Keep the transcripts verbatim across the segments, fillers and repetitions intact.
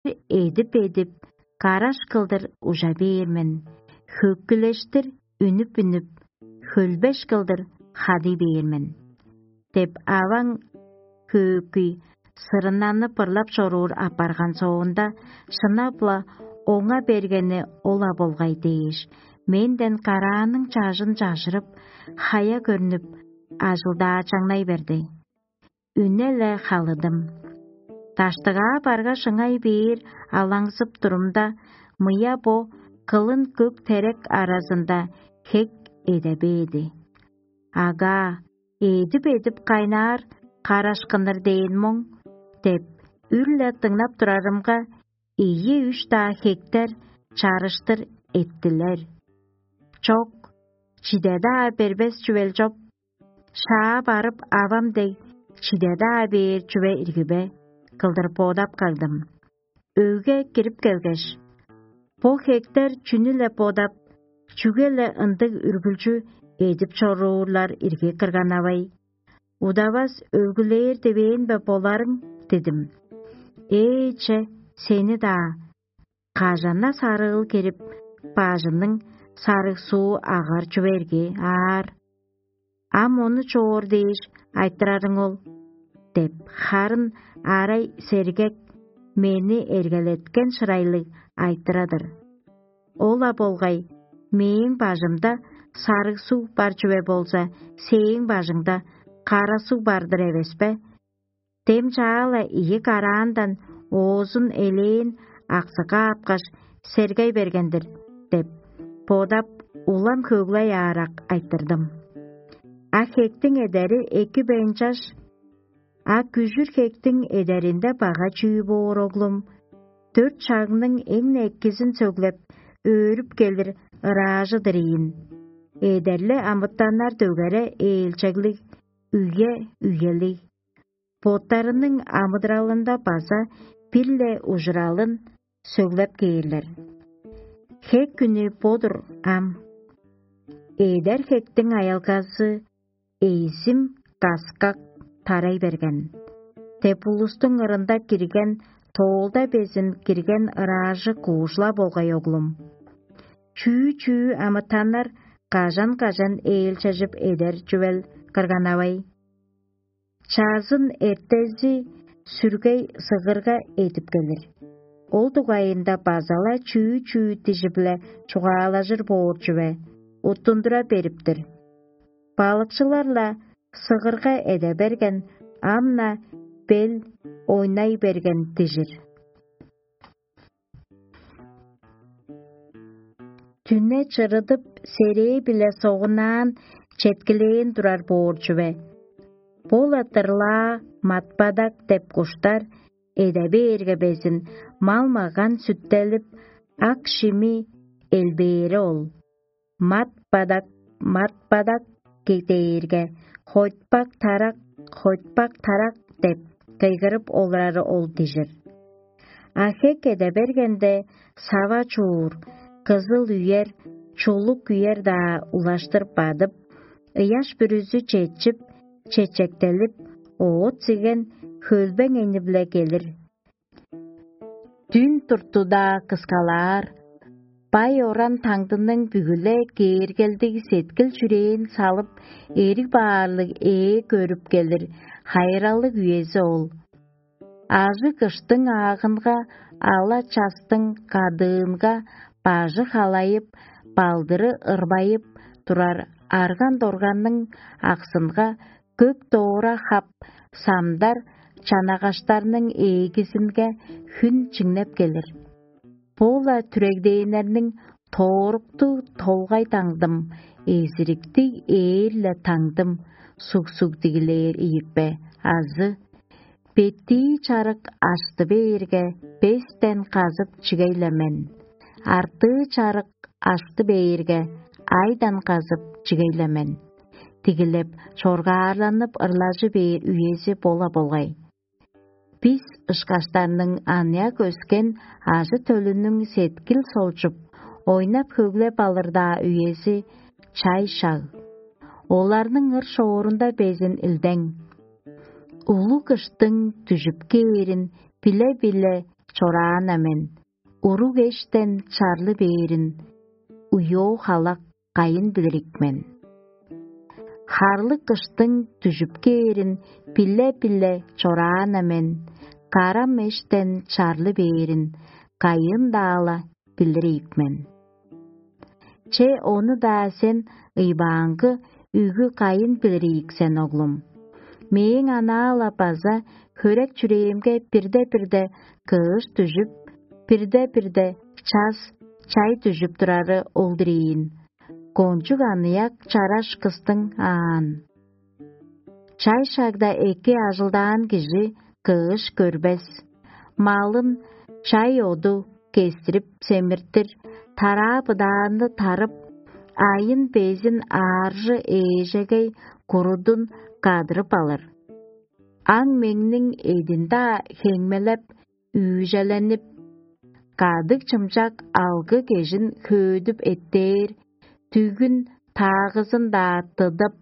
эдип-эдип, караш кылдыр ужа бээр мен, хөккүлештир үнүп-үнүп, хөлбеш кылдыр хадый бээр мен» деп аваң хөөкүй сырыннанып ырлап чоруур апарган соонда, шынап-ла, оңа бергени ол-ла болгай дээш, менден карааның чажын чажырып, хая көрнүп, ажылдаачаңнай берди. Үне-ле халыдым. Даштыгаа баргаш ыңай бээр алаңзып турумда, мыя бо кылын көк терек аразында хек эде бээди. «Агаа, эдип-эдип кайнаар карашкыннар дээн моң» – деп, үр-ле дыңнап турарымга, ийи-үш-даа хектер чарыштыр эттилер. «Чок, чиде-даа бербес чүвел чоп, шаа барып авам дег, чиде-даа бээр чүве ирги бе?» – кылдыр бодап кагдым. Өйге кирип келгеш: «Бо хектер чүнү-ле бодап, чүге-ле ындыг үргүлчү эдип чоруурлар ирги кырган-авай? Удавас өлгүлээр дивээн бе боларың?» – дидим. «Ээ, че, сени-даа! Кажан-на сарыыл кирип, бажыңның сарыг суу агар чүве ирги аар? Ам ону чоор дээш айтырарың ол» – деп, харын арай сергек, мени эргелеткен шырайлыг айтыра-дыр. «Ол-ла болгай, мээң бажымда сарыг суг бар чүве болза, сээң бажыңда кара суг бар-дыр эвес бе? Дем чаа-ла ийи караандан оозун элээн аксыга апкаш, сергей берген-дир» – деп бодап, улам хөглей аарак айтырдым. А хектиң эдери эки бейн чаш. А күжүр хектиң эдеринде бага чүү боор, оглум? Дөрт шагның эң-не экизин сөглеп, өөрүп келир ыраажы-дыр ийин. Эдерле амытаннар дөгере ээлчеглиг, үе-үелиг. Боттарының амыдыралында база бир-ле ужуралын сөглеп кээрлер. Хек хүнү бо-дур ам. Эдер хектиң аялгазы эзим каскак тарай берген деп улустуң ырында кирген, тоолда безин кирген ыраажы куужула болгай, оглум. Чүү-чүү амытаннар кажан-кажан ээлчежип эдер чүвел кырган-авай? Чазын эртези сүргей сыгырга эдип келир. Ол дугайында база-ла чүү-чүү дижи-биле чугаалажыр боор чүве уттундура берип-тир. Балыкчылар-ла сыгырга эде берген, ам-на бел ойнай берген дижир. Дүне чырыдып, серээ-биле согунаан четкилээн турар боор чүве. Бо-ла дырлаа матпадак деп куштар эде бээрге безин, мал-маган сүттелип, ак шими элбээри ол. «Мат-бадак, мат-бадак» дээрге, «Хойтпак-тарак, хойтпак-тарак» деп кыйгырып олурары ол дижир. А хек эде бергенде, сава чуур, кызыл үер, чулук үер-даа улаштыр бадып, ыяш бүрүзү четчип, чечектелип, оът-сиген, хөлбең эни-биле келир. Дүн турту-даа кыскалаар, бай оран-таңдының бүгү-ле кээргелдиг сеткил-чүрээн салып, эриг баарлыг ээ көрүп келир хайыралыг үези ол. Ажыг кыштың аагынга, ала частың кадыынга бажы халайып, балдыры ырбайып турар арган-дорганның аксынга көк доора хап, самдар чанагаштарның ээгизинге хүн чиңнеп келир. Бо-ла түрегдээннерниң тооруктуг толгай таңдым, эзириктиг ээр-ле таңдым суг-суг дигилээр ийик бе? Азы беттии чарык ашты бээрге, бестен казып чигей-ле мен, артыы чарык ашты бээрге, айдан казып чигей-ле мен. Дигилеп, чоргаарланып ырлажы бээр үези бо-ла болгай. Бис ышкаштарның аныяк өскен ажы-төлүнүң сеткил солчуп, ойнап-хөглеп алыр-даа үези чай шаг. Оларның ыр-шоорунда безин илдең. Улуг кыштың дүжүп кээрин биле-биле чораан-на мен, уруг эштен чарлы бээрин уйоо халак кайын билирик мен. Харлыг кыштың дүжүп кээрин биле-биле чораан-на мен, карам эштен чарлы бээрин кайын-даа-ла билир ийик мен. Че, ону-даа сен ыйбааңгы үгү кайын билир ийик сен, оглум. Мээң анаа-ла база хөрек чүрээмге бирде-бирде кыш дүжүп, бирде-бирде час, чай дүжүп турары ол-дур ийин. Кончуг аныяк чараш кыстың аан. Чай шагда эки ажылдаан кижи кыш көрбес. Малын чай оду кестирип семиртир, тараа-быдаанны тарып, айын-безин ааржы ээжегей курудун кадырып алыр. Аң-меңниң эдин-даа хеңмелеп, үүжеленип, кадыг-чымчак алгы-кежин хөөдүп эттээр, дүгүн-таагызын-даа тыдып,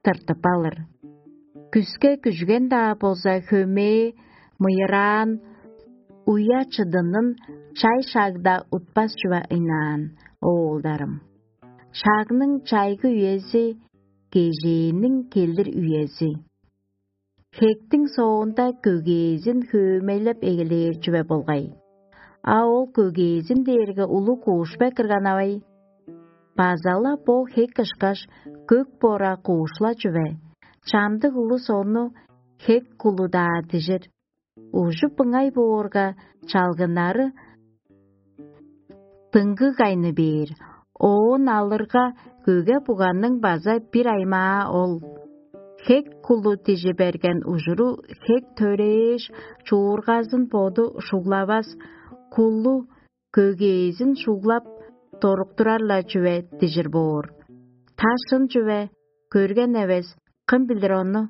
тыртып алыр. Күске күжген-даа болза, хөмээ, мыйыраан, уя-чыдынын чай шагда утпас чүве ыйнаан, оолдарым. Шагның чайгы үези, кежээниң келир үези. Хектиң соонда көгээзин хөөмейлеп эгелээр чүве болгай. А ол көгээзин дээрге улуг куушпе кырганавай. База-ла бо хек ышкаш көк бора куушла чүве, чамдык улус ону хек кулу-даа дижир. Ужуп ыңай боорга, чалгыннары дыңгыг айны бээр. Оон алырга, көге-буганның база бир аймаа ол. Хек кулу дижи берген ужуру хек төрээш, чуургазын боду шуглавас, кулу көгээзин шуглап, доруктурар-ла чүве дижир боор. Та шын чүве, көрген эвес, кым билир ону?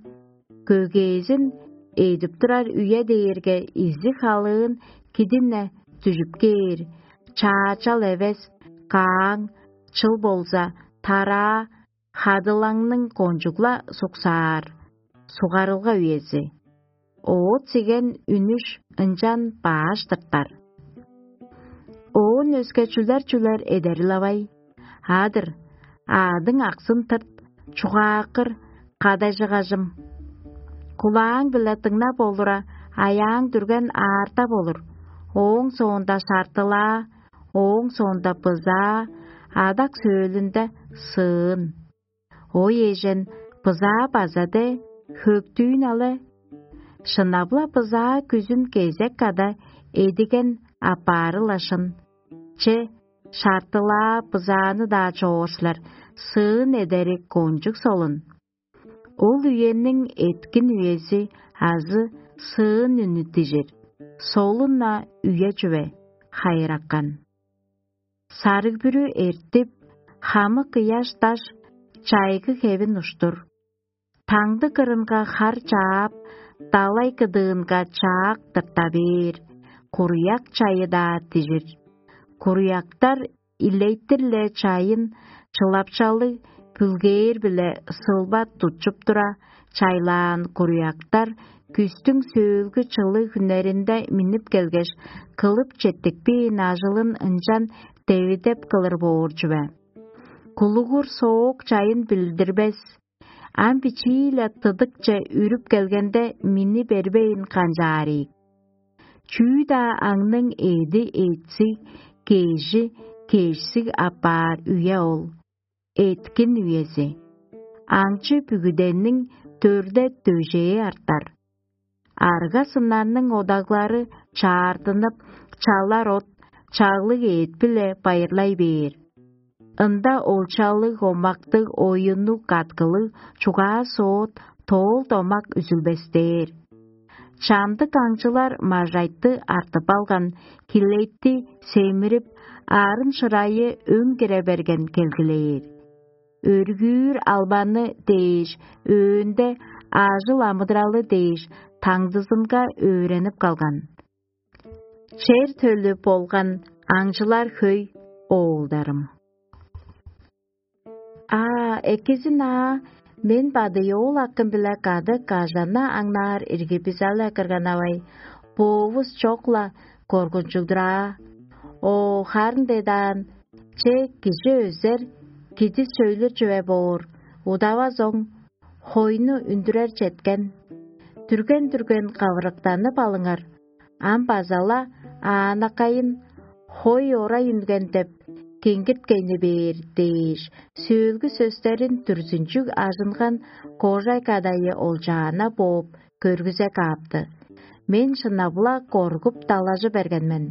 Көгээзин эдип турар үе дээрге изиг халыын кидин-не дүжүп кээр, чаачал эвес, кааң, чыл болза, тараа, хадылаңның кончуг-ла суксаар, сугарылга үези. Оът сиген үнүш ынчан баш тыртар. Оон өске чүлер-чүлер эдерил-авай. Адыр, аъдың аксын тырт, чугааккыр, кадажыгажым. Кулааң-биле дыңнап олура, аяаң дүрген аарда болур. Ооң соонда шартылаа, ооң соонда бызаа, адак сөөлүнде сыын. Ой эжен, бызаа база де, хөктүүн але. Шынап-ла бызаа күзүн кезек када эдиген апаары-ла шын. Че, шартылаа бызааны-даа чооршулар, сыын эдери кончуг солун. Ол үениң эткин үези азы сыын үнү дижир, солун-на үе чүве, хайыракан. Сарыг-бүрү эртип, хамык ыяш-даш чайгы хевин уштур. Таңды кырынга хар чаап, далай кыдыынга чаак тырта бээр, куруяк чайы-даа дижир. Куруяктар илейтир-ле чайын чылапчалыг, бүлгээр-биле сылба тутчуп тура, чайлаан куруяктар күстүң сөөлгү чылыг хүннеринде миннип келгеш, кылып четтикпээн ажылын ынчан девидеп кылыр боор чүве. Кулугур соок чайын билдирбес, ам бичии-ле тыдыкче үрүп келгенде, мини бербейн канчаар ийик. Чүү-даа аңның эъди эътсиг, кежи кежсиг апаар үе ол. Эъткин үези. Аңчы бүгүдениң дөрде дөжээ артар. Арга-сыннарның одаглары чаартынып, чалар от, чаглыг эът-биле байырлай бээр. Ында олчалыг, омактыг, оюннуг, каткылыг, чугаа-соот, тоол-домак үзүлбестээр. Чамдык аңчылар мажайтты артып алган, хилейтти семирип, арын-шырайы өң кире берген келгилээр. Өргүүр албаны дээш, өөнде ажыл-амыдыралы дээш, таңдызынга өөренип калган. Чер төлү болган аңчылар хөй, оолдарым. А, экизин аа, мен бадыйоол акым-биле кады кажана аңнаар ирги бизале кырганавай, боовус чок-ла, коргунчугдураа. О, харын дедаан, че кижи өзер, кидис сөйлүр чүве боор, удавазоң хойну үндүрер четкен. Дүрген-дүрген кавырыктанып алыңар, ам база-ла аанакайын хой орай үнген деп кеңгирткейни бээр дээш, сөөлгү сөстерин дүрзүнчүг ажынган кожай кадайы олчаана бооп көргүзе каапты. Мен шынап-ла коргуп далажы берген мен.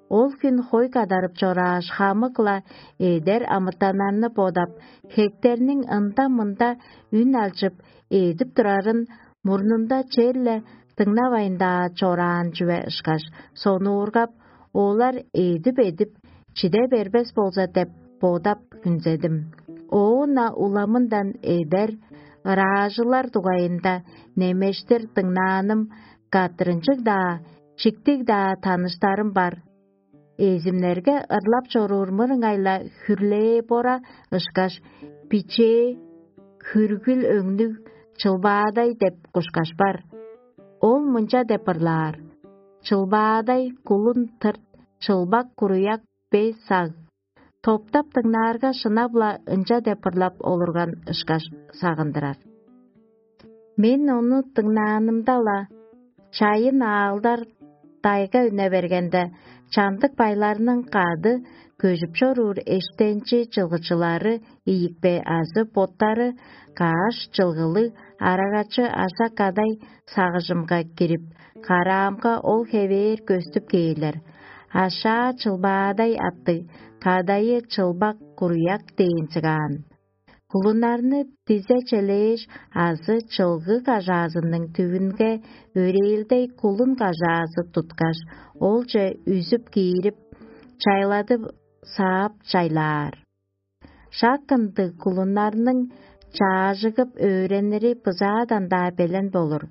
Ол хүн хой кадарып чорааш, хамык-ла эдер амытаннарны бодап, хектерниң ында-мында үн алчып, эдип турарын мурнунда черле дыңнавайн-даа чораан чүве ышкаш, сонуургап, олар эдип-эдип, чиде бербес болза деп бодап хүнзедим. Оон-на уламындан эдер ыраажылар дугайында немештир дыңнааным каттырынчыг-даа, чиктиг-даа таныштарым бар. Эзимнерге ырлап чоруур мырыңай-ла хүрлээ бора ышкаш, бичээ, хүргүл өңнүг чылбаадай деп кушкаш бар. Ол мынча деп ырлаар: «Чылбаадай, кулун тырт, чылбак куруяк бе саг». Топтап дыңнаарга, шынап-ла ынча деп ырлап олурган ышкаш сагындырар. Мен ону дыңнаанымда-ла, чайын аалдар дайга үне бергенде, чамдык байларның кады көжүп чоруур эштенчи чылгычылары ийикпе азы боттары каш чылгылыг арагачы аша кадай сагыжымга кирип, караамга ол хевээр көстүп кээрлер. Ашаа чылбаадай аттыг, кадайы чылбак куруяк дээн сыгаан. Кулуннарны дизе челээш азы чылгы кажаазының түвүнге өрээлдей кулун кажаазы туткаш, олче үзүп киирип, чайладып саап чайлаар. Шак ындыг кулуннарның чаажыгып өөренири бызаадан-даа белен болур.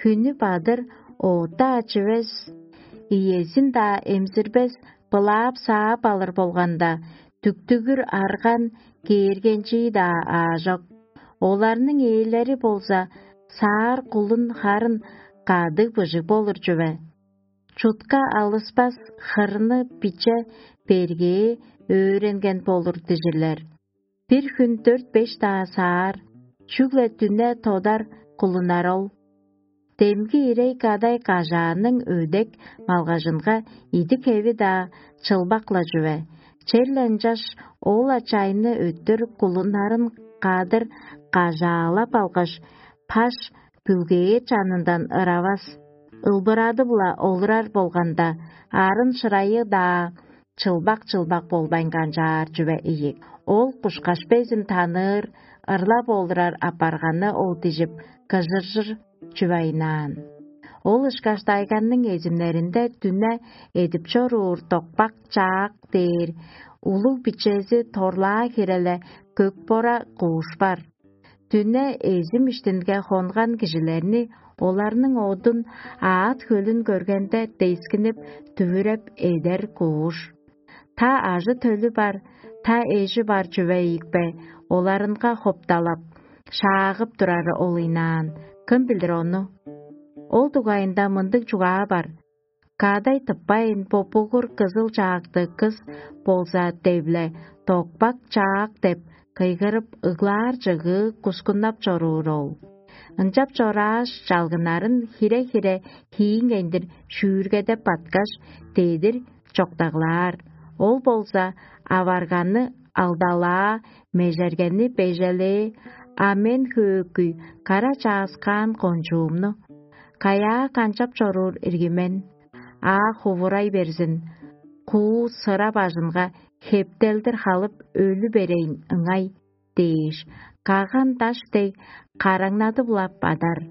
Хүнү бадыр, ота ачывес, иезин-даа эмзирбес, былаап-саап алыр болганда, дүктүгүр арган кээргенчии-даа аажок. Оларның ээлери болза, саар кулун харын кадыг быжыг болур чүве. Чутка алыспас хырны биче бергээ өөренген болур дижирлер. Бир хүн дөрт-беш-даа саар, чүгле дүне тодар кулунар ол. Демги ирей кадай кажааның өдек малгажынга идик-хеви-даа чылбак-ла чүве. Черле ынчаш ол-ла чайны өттүр кулуннарын кадыр кажаалап алгаш, паш бүлгээр чанындан ыравас, ылбырадып-ла олурар болганда, арын шырайы-даа чылбак-чылбак болбайн канчаар чүве ийик. Ол кушкаш безин таныыр, ырлап олурар апарганы ол дижип, кыжыржыр чүве айнаан. Ол ышкаш дайганның эзимнеринде дүне эдип чоруур докпак чаак дээр улуг бичези торлаа хиреле көк бора кууш бар. Дүне эзим иштинге хонган кижилерни, оларның одун аът хөлүн көргенде, дескинип, дүвүреп эдер кууш. Та ажы-төлү бар, та эжи бар чүве ийикпе, оларынга хопталап, шаагып турары ол ыйнаан. Кым билир ону? Ол дугайында мындыг чугаа бар: «Кадай тыппайн, бо бугур кызыл чаакты кыс болза, девле, докпак чаак деп кыйгырып, ыглаар чыгыы кускуннап чоруур ол». Ынчап чорааш, чалгыннарын хире-хире хииңейндир шүүргедеп баткаш, дедир чоктаглаар. Ол болза аварганы алдалаа, межергени бежелээ, а мен хөөкүй, кара чааскаан кончуумну. Каяа канчап чоруур ирги мен? Аа, хувурай берзин, куу сыра бажынга хептелдир халып өлү берейн ыңай дээш, каган даш дег караңнадып-ла бадар.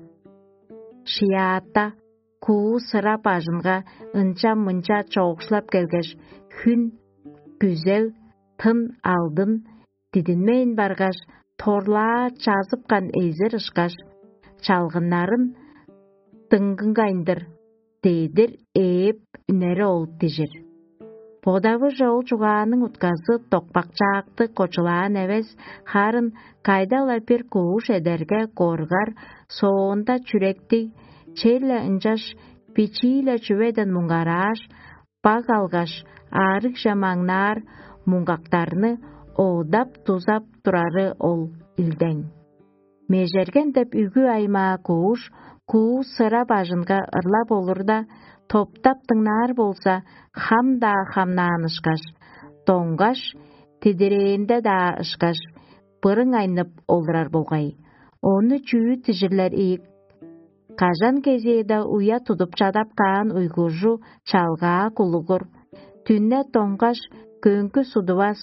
Шыяатта куу сыра бажынга ынча-мынча чоокшулап келгеш, хүн, күзел, тын алдын дидинмейн баргаш, торлаа чазыпкан эзир ышкаш, чалгыннарын дыңгынгайындыр дедир ээп үнери ол дижир. Бодавыже ол чугааның утказы докпакчаакты кочулаан эвес, харын кайда-ла бир кууш эдерге коргар, соонда чүректиг, черле ынчаш бичии-ле чүведен муңгарааш, баг алгаш, аарыгже маңнаар муңгактарны оодап-дузап турары ол илдең. Межерген деп үгү аймаа кууш, куу сыра бажынга ырлап олурда, топтап дыңнаар болза, хам-даа хамнаан ышкаш, доңгаш, тидирээнде-даа ышкаш, бырың айнып олурар болгай. Ону чүү дижирлер ийик? Кажан кезээде уя тудуп чадап каан уйгужу чалгаа кулугур, дүне доңгаш, көңгү судувас,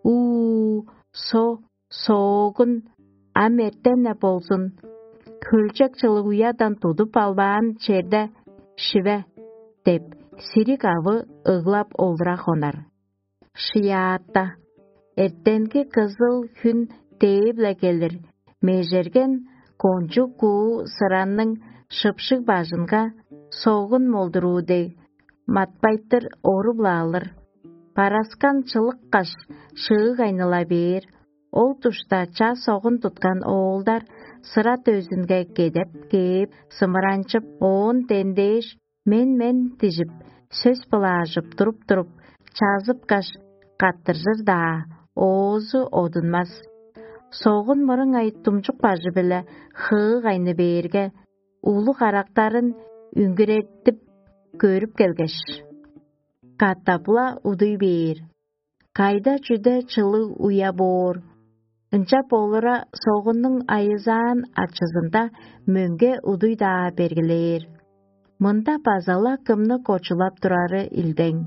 уу, со, соогун, ам эртен-не болзун, хөлчек чылыг уядан тудуп албаан черде шиве деп, сириг авы ыглап олура хонар. Шыяатта, эртенги кызыл хүн дээп-ле келир, межерген кончуг куу сыранның шыпшыг бажынга согун молдуруу дег, матпайтыр оруп-ла алыр. Бараскан чылыккаш, шыыг айныла бээр. Ол душта ча согун туткан оолдар сыра дөзүнге кедеп кээп, сымыранчып, оон дендээш, «Мен-мен» дижип, сөс былаажып туруп-туруп, чазыпкаш, каттыржыр-даа, оозу одунмас. Согун мырыңай думчук бажы-биле хыы кайны бээрге, улуг карактарын үңгүреттип көрүп келгеш, катап-ла удуй бээр. Кайда-чүде чылыг уя боор. Ынчап олура согуннуң айызаан ачызында мөңге удуй-даа бергилээр. Мында база-ла кымны кочулап турары илдең.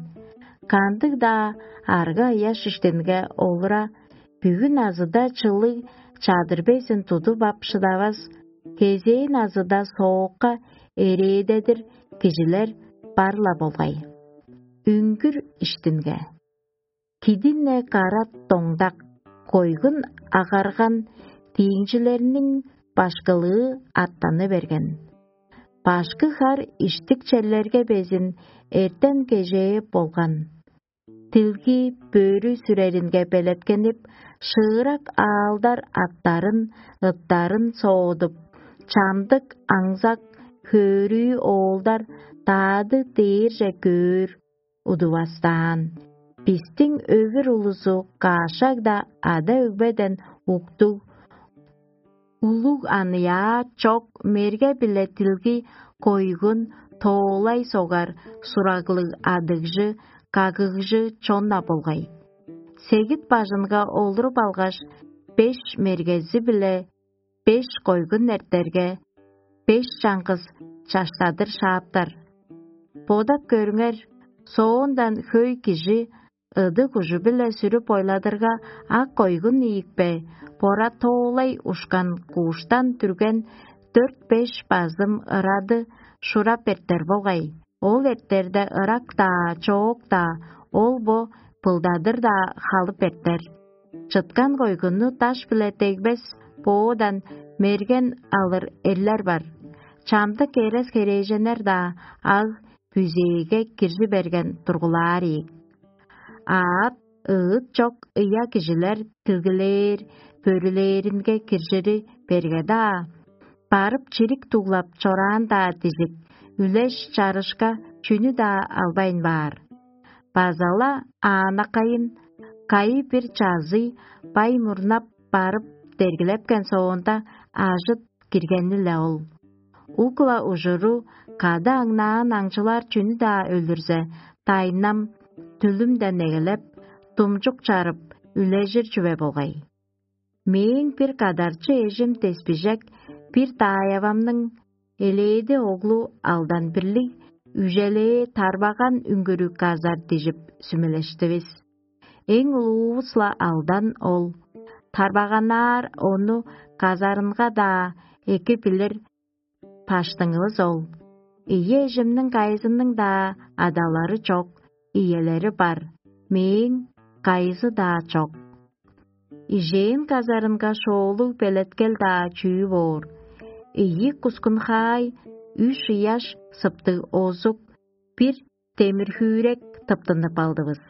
Кандыг-даа арга-аяш иштинге олура, бүгүн азыда чылыг чадыр безин тудуп ап шыдавас, кезээн азыда соокка эрээдедир кижилер бар-ла болгай. Үңгүр иштинге. Кидине карат доңдак, койгун агарган дииңчилерниң башкылыы аттаны берген. Башкы хар иштик черлерге безин эртен кежээп болган. Дилги бөрү сүреринге белеткенип, шыырак аалдар аттарын, ыттарын соодуп, чамдык аңзак хөөрүү оолдар даады дээрже көөр удувастаан. Бистиң өвүр улузу каашаг-даа ада-өгбеден уктуг, улуг аныяа чок мерге-биле дилги койгун, тоолай согар, сураглыг адыгжы, кагыгжы чон-на болгай. Сегит бажынга олуруп алгаш, беш мергези-биле беш койгун эртерге, беш чаңгыс чаштадыр шааптар. Бодап көрүңер, соондан хөй кижи ыдыг ужу-биле сүрүп ойладырга, ак койгун ийикпе, бора тоолай ушкан кууштан дүрген дөрт-беш базым ырады шурап эртер болгай. Ол эртерде ырак-даа, чоок-даа, ол-бо былдадыр-даа халып эртер. Чыткан койгунну даш-биле дегбес боодан мерген алыр эрлер бар. Чамдык эрес-херээженнер-даа аг бүзээге киржи берген тургулаар ийик. Аът, ыыт чок ыя кижилер дилгилээр, бөрүлээринге киржири берге-даа, барып чирик дуглап чораан-даа дижик, үлеш-чарышка чүнү-даа албайн баар. База-ла аанакайын кайы-бир чазый бай мурнап барып дергилепкен соонда, ажыт киргени-ле ол. Ук-ла ужуру кады аңнаан аңчылар чүнү-даа өлүрзе, дайнам, дүлүмден эгелеп, думчук чарып, үлежир чүве болгай. Мээң бир кадарчы эжим деспижек бир даайавамның элээди оглу алдан бирлиг үжелээ тарбаган үңгүрү казар дижип сүмелештивис. Эң улуувус-ла алдан ол. Тарбаганаар ону казарынга-даа эки билир баштыңывыс ол. Ийи эжимниң кайызының-даа адалары чок, иелери бар, мээң кайызы-даа чок. Ижээн казарынга шоолуг белеткел-даа чүү боор. Ийи кускунхаай, үш ыяш сыптыг озук, бир демир-хүүрек тыптынып алдывыс.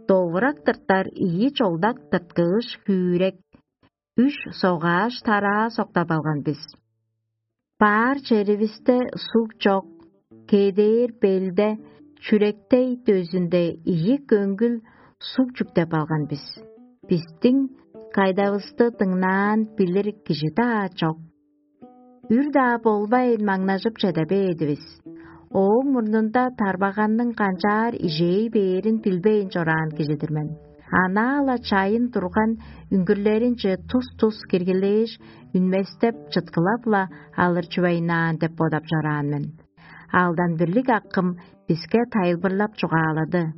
Довурак тыртар ийи чолдак тырткыыш хүүрек, үш согааш тараа соктап алган бис. Баар черивисте суг чок, кедээр белде чүректей дөзүнде ийи көңгүл суг чүктеп алган бис. Бистиң кайдавысты дыңнаан билир кижи-даа чок. Үр-даа болбайн маңнажып чеде бээдивис. Ооң мурнунда тарбаганның канчаар ижей бээрин билбейн чораан кижи-дир мен. Анаа-ла чайын турган үңгүрлеринче тус-тус киргилээш, үнместеп, чыткылап-ла алыр чүвейнаан деп бодап чораан мен. Алдан бирлиг акым биске тайылбырлап чугаалады.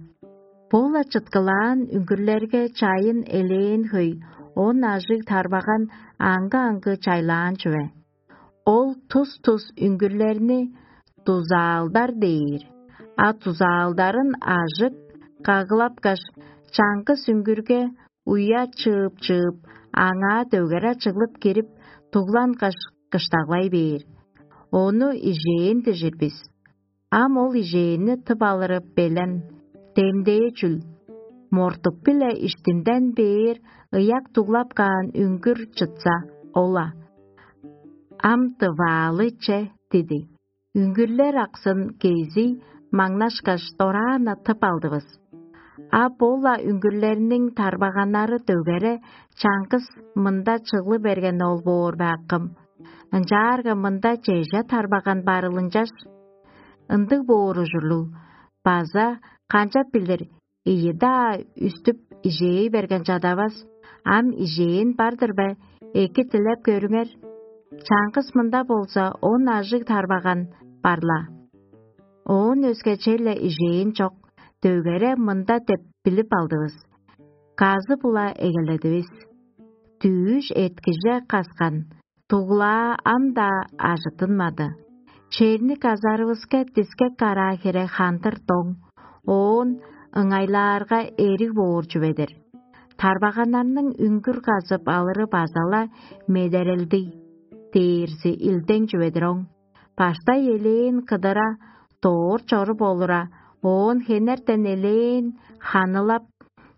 Бо-ла чыткылаан үңгүрлерге чайын элээн хөй, он ажыг тарбаган аңгы-аңгы чайлаан чүве. Ол тус-тус үңгүрлерни дузаалдар дээр, а дузаалдарын ажык кагылапкаш, чаңгыс үңгүрге уя чыып-чыып, аңаа дөгере чыглып кирип, дугланкаш, кыштаглай бээр. Ону ижээн дижир бис. Ам ол ижээнни тып алыры белен, демдээ чүл. Мортук-биле иштинден бээр ыяк дуглап каан үңгүр чытса, ол-ла: «Ам дываалы че» диди. Үңгүрлер аксын кезий маңнашкаш, дораан-на тып алдывыс. А бо-ла үңгүрлерниң тарбаганнары дөгере чаңгыс мында чыглы берген ол боор бе, акым? Ынчаарга мында чеже тарбаган барылынчаш, ындыг боор ужурлуг, база, канчап билир, ийи-даа үстүп ижээ берген чадавас, ам ижээн бар-дыр бе, эки дилеп көрүңер. Чаңгыс мында болза он ажыг тарбаган бар-ла. Оон өске черле ижээн чок, дөгере мында деп билип алдывыс. Казы-була эгеледивис. Дүъш эткиже каскан, дуглаа ам-даа ажыттынмады. Черни казарывыска дискек караа хире хандыр доң, оон ыңайлаарга эриг боор чүве-дир. Тарбаганнарның үңгүр казып алыры база-ла медерелдиг дээрзи илдең чүве-дир оң. Баштай элээн кыдыра, доор чоруп олура, оон хенертен элээн ханылап,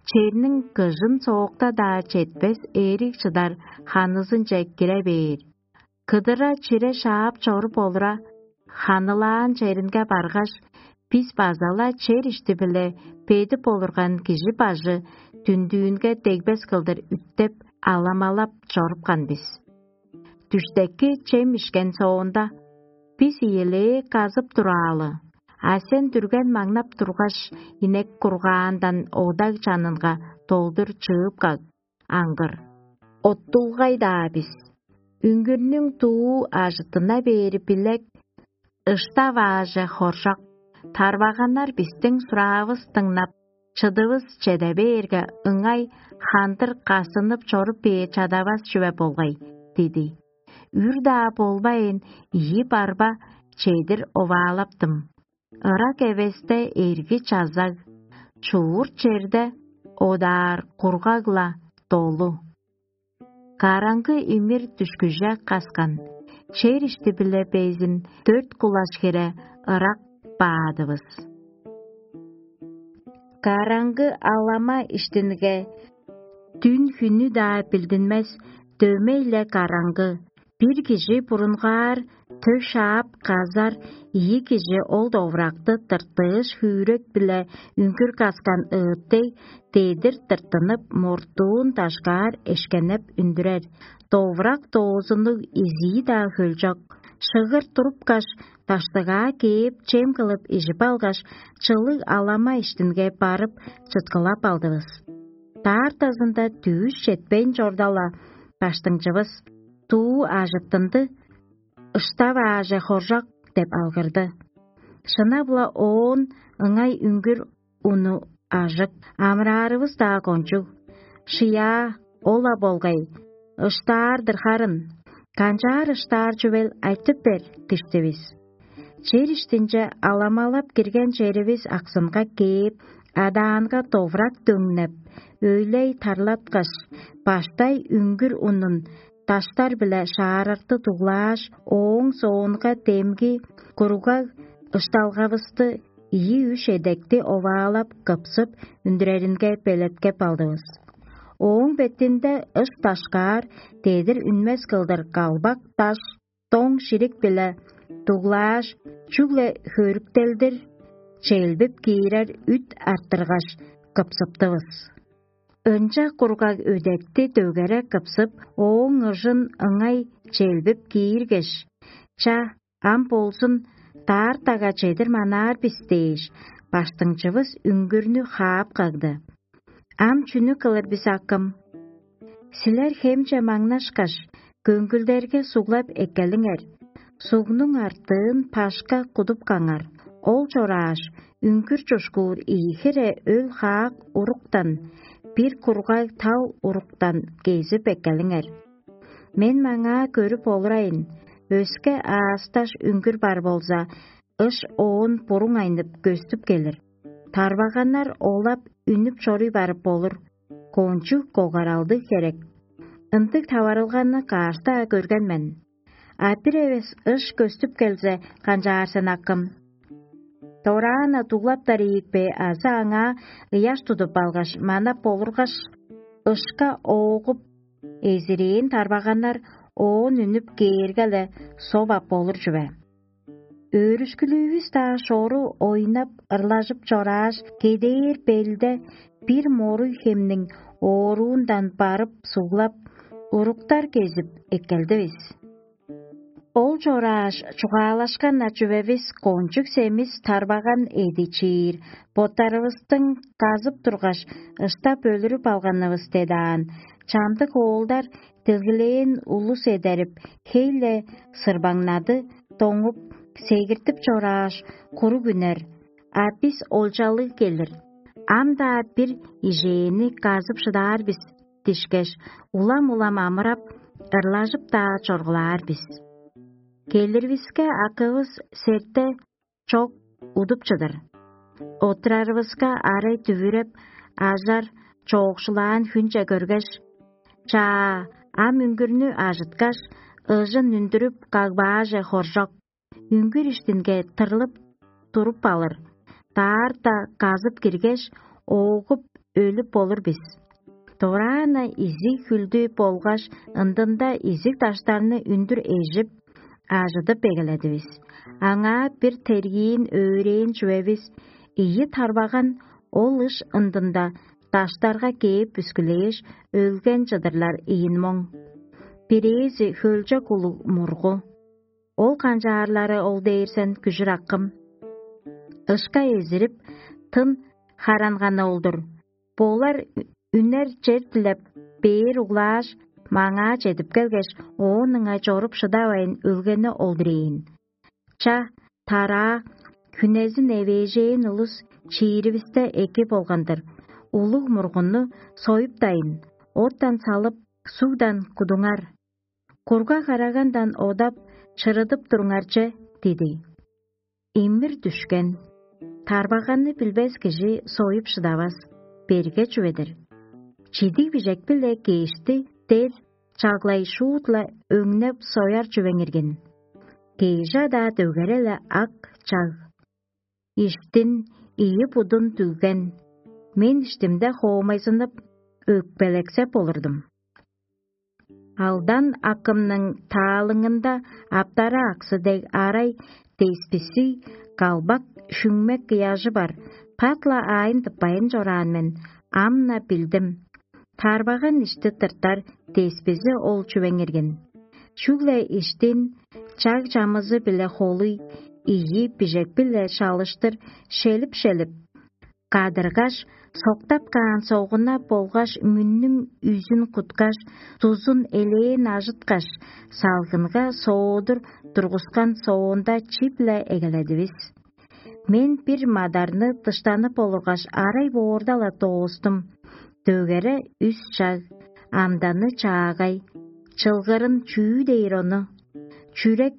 черниң кыжын соокта-даа четпес эриг чыдар ханызынче кире бээр. Кыдыра чире шаап чоруп олура, ханылаан черинге баргаш, бис база-ла чер ишти-биле бедип олурган кижи бажы дүндүүнге дегбес кылдыр үттеп, аламалап чорупкан бис. Дүштеки чем ишкен соонда, бис ийилээ казып тураалы, а сен дүрген маңнап тургаш, инек кургаандан одаг чанынга долдур чыып каг, аңгыр. Оттулгай-даа бис. Үңгүрнүң дуу ажыттына бээри билек, ышта-вааже хоржок. Тарбаганнар бистиң сураавыс дыңнап, чыдывыс чеде бээрге, ыңай хандыр касынып чоруп бээр чадавас чүве болгай, диди. Үр-даа болбайн, ийи барба чедир оваалаптым. Ырак эвесте эрги чазаг, чуур черде одаар кургаг-ла долу. Караңгы имир дүшкүже каскан, чер ишти-биле безин дөрт кулаш хире ырак баадывыс. Караңгы алама иштинге дүн-хүнү-даа билдинмес, дөмей-ле караңгы. Бир кижи бурунгаар тө шаап казар, ийи кижи ол довуракты тыртыыш, хүүрек-биле үңгүр каскан ыыт дег, дедир тыртынып, муртуун дашкаар эшкенеп үндүрер. Довурак доозуннуг изии-даа хөлчок. Шыгыр турупкаш, даштыгаа кээп, чем кылып ижип алгаш, чылыг алама иштинге барып, чыткылап алдывыс. Даартазында дүъш четпейн чорда-ла, баштыңчывыс: «Дуу ажыттынды, ышта-вааже хоржок» – деп алгырды. Шынап-ла оон ыңай үңгүр уну ажык, амыраарывыс-даа кончуг. «Шыяа, ол-ла болгай, ыштаар-дыр харын. Канчаар ыштаар чүвел, айтып бер» – диштивис. Чер иштинче аламалап кирген черивис аксынга кээп, адаанга довурак дөңнеп, өйлей тарлаткаш, баштай үңгүр унун даштар-биле шаарарты дуглааш, ооң соонга демги куругаг ышталгавысты, ийи-үш эдекти оваалап, кыпсып, үндүреринге белеткеп алдывыс. Ооң бетинде ыш дашкаар, дедир үнмес кылдыр калбак даш, доң ширик-биле дуглааш, чүгле хөрүктелдир челбип киирер үт арттыргаш, кыпсыптывыс. Ынча кургаг өдекти дөгере кыпсып, ооң ыжын ыңай челбип кииргеш: «Ча, ам болзун, даартага чедир манаар бис» – дээш, баштыңчывыс үңгүрнү хаап кагды. «Ам чүнү кылыр бис, акым? Силер хемче маңнашкаш, көңгүлдерге суглап эккелиңер. Сугнуң артыын пашка кудупкаңар. Ол чорааш, үңгүр чушкуур ийи хире өл-хаак уруктан, бир кургаг тал уруктан кезип эккелиңер. Мен маңаа көрүп олурайын, өске аасташ үңгүр бар болза, ыш оон буруңайнып көстүп келир. Тарбаганнар олап үнүп чоруй барып болур, кончуг когаралдыг херек. Ындыг таварылганы каш-даа көрген мен. А бир эвес ыш көстүп келзе, канчаар сен, акым? Дораан-на дуглаптар ийик бе азы аңаа ыяш тудуп алгаш, манап болургаш, ышка ооп, эзирээн тарбаганнар оон үнүп кээрге-ле соп ап болур чүве. Өөрүшкүлүүвүс-даа шору ойнап, ырлажып чорааш, кедээр белде бир моруй хемниң ооруундан барып суглап, уруктар кезип эккелдивис. Ол чорааш, чугаалашкан-на чүвевис кончуг семис тарбаган эди чиир, боттарывыстың казып тургаш, ыштап өлүрүп алганывыс дедаан, чамдык оолдар дилгилээн улус эдерип, хей-ле сырбаңнады, доңуп, сегиртип чорааш, куруг үнер, а бис олчалыг келир. Ам-даа бир ижээни казып шыдаар бис дишкеш, улам-улам амырап, ырлажып-даа чоргулаар бис. Келиривиске акывыс серте чок удуп чыдыр. Оттурарывыска арай дүвүреп, ажар, чоокшулаан хүнче көргеш: «Чаа, ам үңгүрнү ажыткаш, ыжын үндүрүп, кагбааже хоржок. Үңгүр иштинге тырлып туруп алыр. Даарта казып киргеш, оогуп, өлүп болур бис». Дораан-на изиг хүлдү болгаш ындында изиг даштарны үндүр эжип, ажыдып эгеледивис. Аңаа бир тергиин өөрээн чүвевис: ийи тарбаган ол ыш ындында даштарга кээп бүскүлээш, өлген чыдырлар ийин моң. Бирээзи хөлчок улуг мургу. Ол канчаарлары ол дээр сен, күжүр акым? Ышка эзирип, тын харанганы ол-дур. Болар үнер чер дилеп, бээр углааш, маңаа чедип келгеш, оон ыңай чоруп шыдавайн өлгени ол-дур ийин. Ча, тараа, хүнезин эвээжээн улус чииривисте эки болган-дыр. Улуг мургунну союптайн, оттан салып, сугдан кудуңар. Курга карагандан одап, чырыдып туруңар че, диди. Имир дүшкен. Тарбаганны билбес кижи союп шыдавас, берге чүве-дир. Чидиг бижек-биле кешти дер чаглай шуут-ла өңнеп сояр чүвең иргин. Кежи-даа дөгере-ле ак чаг. Иштин ийи будун дүгген, мен иштимде хоомайзынып, өкпелексеп олурдум. Алдан акымның таалыңында аптара аксы дег арай десписи, калбак, шүңмек ыяжы бар, пат-ла аайын тыппайн чораан мен, ам-на билдим. Тарбаган ишти тыртар деспизи ол чүвең иргин. Чүгле иштин чаг чамызы-биле холуй, ийи бижек-биле шалыштыр шелип-шелип, кадыргаш, соктап каан согуна болгаш мүннүң үзүн куткаш, дузун элээн ажыткаш, салгынга соодур тургускан соонда чип-ле эгеледивис. Мен бир мадарны дыштанып олургаш, арай боорда-ла доостум. Дөгере үс чаг, амданы чаагай, чылгырын чүү дээр ону? Чүрек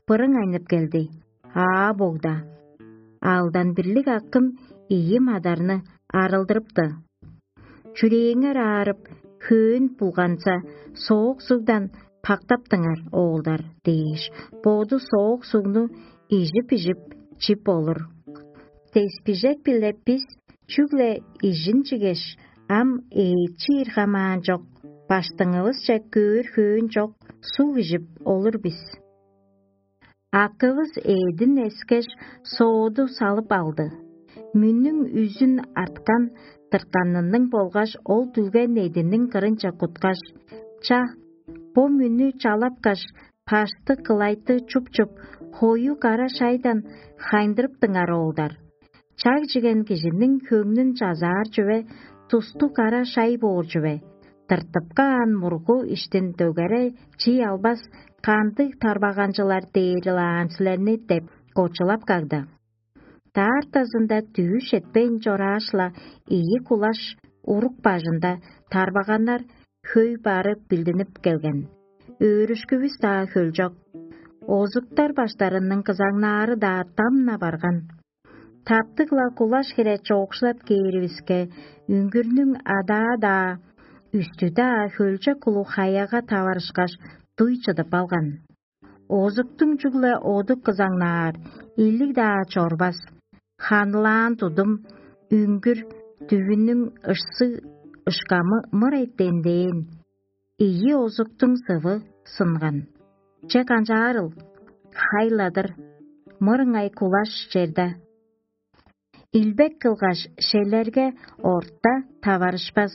бырың айнып келди. Аа, богда. Алдан бирлиг акым ийи мадарны арылдырыпты. «Чүрээңер аарып, хөөн булганза, соок сугдан пактаптыңар, оолдар» – дээш, боду соок сугну ижип-ижип чип болур. Деспижек-биле бис чүгле ижин чигеш, ам ээчиир хамаан чок, баштыңывысче көөр хөөн чок суг ижип олур бис. Акывыс эъдин эскеш, сооду салып алды. Мүннүң үзүн арткан тыртканының болгаш ол дүлген эъдиниң кырынче куткаш: «Ча, бо мүннү чалапкаш, паштык кылайтты чуп-чуп, хою кара шайдан хайындырыптыңар, оолдар. Чаг чиген кижиниң хөңнүн чазаар чүве тусту кара шай боор чүве. Тыртып каан мургу иштин дөгере чий албас кандыг тарбаганчылар дээри-лаан силерни» — деп кочулап кагды. Даартазында дүвүш четпейн чорааш-ла, ийи кулаш урук бажында тарбаганнар хөй бары билдинип келген. Өөрүшкүвүс-даа хөлчок. Озуктар баштарының кызаңнаары-даа дам-на барган. Таптыг-ла кулаш хире чоокшулап кээривиске, үңгүрнүң адаа-даа, үстү-даа хөлчок улуг хаяга таварышкаш, дуй чыдып алган. Озуктуң чүгле оду кызаңнаар, илиг-даа чорбас, ханылаан тудум, үңгүр, дүвүнүң ышсы, ышкамы мырай дендеэн. Ийи озуктуң сывы сынган. Че канчаарыл? Хайладыр, мырыңай кулаш черде. Илбек кылгаш, шелерге орта таварышпас,